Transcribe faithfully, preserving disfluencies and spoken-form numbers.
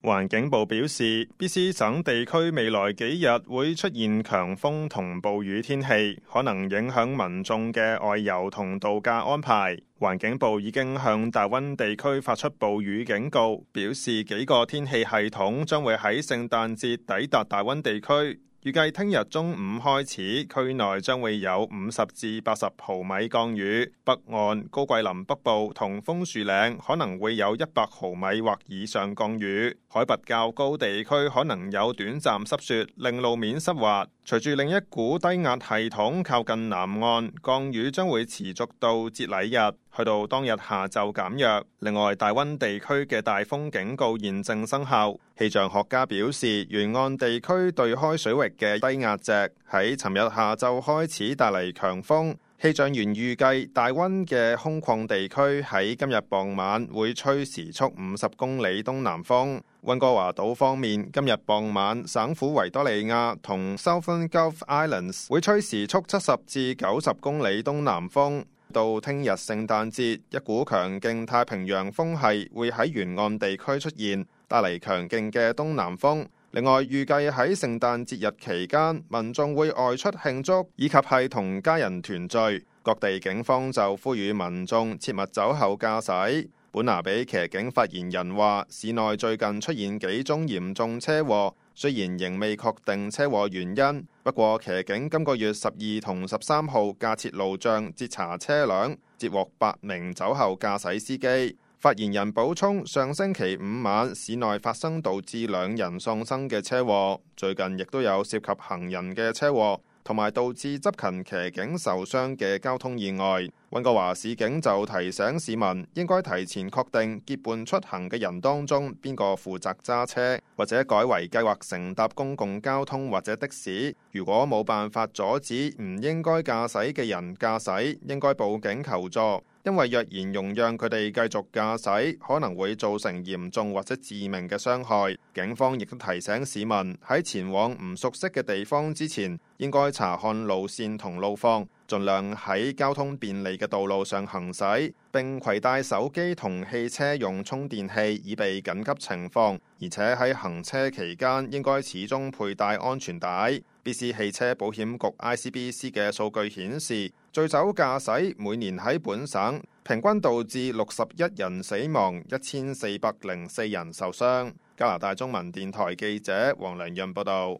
環境部表示 ，B C 省地區未來幾日會出現強風同暴雨天氣，可能影響民眾嘅外遊同度假安排。環境部已經向大溫地區發出暴雨警告，表示幾個天氣系統將會喺聖誕節抵達大溫地區。預計聽日中午開始，區內將會有五十至八十毫米降雨，北岸、高桂林北部同楓樹嶺可能會有一百毫米或以上降雨。海拔較高地區可能有短暫濕雪，令路面濕滑。隨住另一股低壓系統靠近南岸，降雨將會持續到節禮日，去到當日下晝減弱。另外，大溫地區嘅大風警告現正生效。氣象學家表示，沿岸地區對開水域嘅低壓脊喺尋日下晝開始帶嚟強風。氣象員預計大溫嘅空曠地區喺今日傍晚會吹時速五十公里東南風。溫哥華島方面，今日傍晚省府維多利亞同 Southern Gulf Islands 會吹時速七十至九十公里東南風。到聽日聖誕節，一股強勁太平洋風系會喺沿岸地區出現，帶嚟強勁嘅東南風。另外，預計喺聖誕節日期間，民眾會外出慶祝，以及係同家人團聚。各地警方就呼籲民眾切勿酒後駕駛。本拿比騎警發言人話，市內最近出現幾宗嚴重車禍，雖然仍未確定車禍原因，不過騎警今個月十二同十三號架設路障截查車輛，截獲八名酒後駕駛司機。發言人補充，上星期五晚市內發生導致兩人喪生嘅車禍，最近亦都有涉及行人嘅車禍，同埋導致執勤騎警受傷嘅交通意外。溫哥華市警就提醒市民應該提前確定結伴出行嘅人當中邊個負責揸車，或者改為計劃乘搭公共交通或者的士。如果冇辦法阻止唔應該駕駛嘅人駕駛，應該報警求助。因為若然容讓佢哋繼續駕駛，可能會造成嚴重或者致命嘅傷害。警方亦都提醒市民喺前往唔熟悉嘅地方之前，應該查看路線同路況，盡量喺交通便利嘅道路上行駛，並攜帶手機同汽車用充電器以備緊急情況。而且喺行車期間應該始終佩戴安全帶。B C 汽車保險局 I C B C 嘅數據顯示，醉酒駕駛每年喺本省平均導致六十一人死亡，一千四百零四人受傷。加拿大中文電台記者黃良潤報道。